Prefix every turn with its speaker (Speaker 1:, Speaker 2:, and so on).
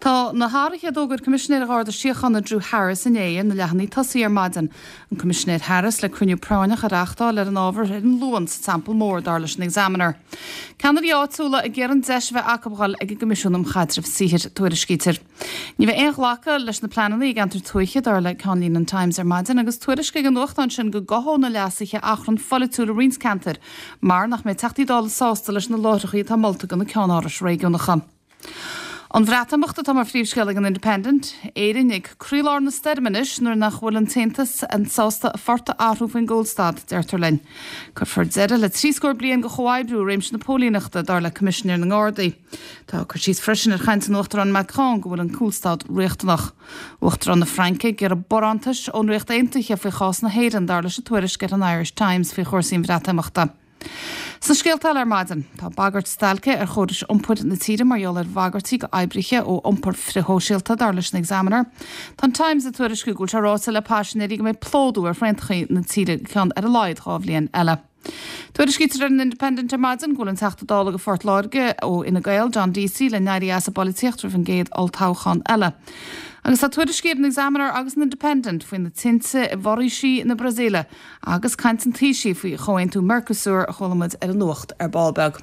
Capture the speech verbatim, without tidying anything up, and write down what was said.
Speaker 1: Tá na hathruithe a d'fhógair Coimisinéir an Gharda Síochána Drew Harris inné ar na leathanaigh tosaigh ar maidin. An Coimisinéir Harris le cruinniú práinneach a reáchtáil ar an ábhar ar an Luan sa Teampall Mór dar leis an Examiner. Ceannairí áitiúla ag iarraidh an deis a bheith acu a dhul ag an gCoimisiún um Chaidreamh Saothair tuairiscítear. Ní bheidh aon ghlacadh leis na pleananna i gceantar tuaithe dar le ceannlíne an Times ar maidin agus tuairisc ag an nuachtán sin go gcothódh na leasuithe achrann polaitiúil i roinnt ceantar, mar nach mbeidh Teachtaí Dála sásta leis na láithreacha atá molta do na ceannárais réigiúnacha. An Bhreatimeacht atá mar phríomhscéal ag an Independent, Éire ag croílár na stoirme anois nuair nach bhfuil an tAontas an sásta a phort a athrú faoin gcúlstad, deirtear linn. Cuirfear deireadh le trí scór bliain de chomhoibriú i réimse na póilíneachta dar le Coimisinéir na nGardaí. Tá cur síos freisin ar chaint an Uachtaráin Macron go bhfuil an cúlstad riachtanach. Uachtarán na Fraince ag iarraidh barántais ón Ríocht Aontaithe faoi chás na hÉireann dar leis an tuairisc ar an Irish Times faoi chúrsaí an Bhreatimeachta. Sna scéalta eile ar maidin, tá bagairt stailce ar chórais iompair na tíre mar gheall ar bhagairtí d'oibrithe ó iompar frithshóisialta dar leis an Examiner. Tá an Times ag tuairisciú go bhfuil sé ráite le paisinéirí go mbeidh plódú ar thraenacha na tíre ceann ar a laghad dhá bhliain eile. Tuairiscítear ar an Independent ar maidin go bhfuil an Teachta Dála do Phort Láirge ó Fhine Gael John Deasy le n-éirí as an bpolaitíocht roimh an gcéad olltoghchán eile. Agus tá tuairiscí ar an Examiner agus an Independent faoi na tinte i bhforaoisí na Brasaíle agus caint an Taoisigh faoi chomhaontú Mercosur a chuala muid ar an nuacht ar ball beag.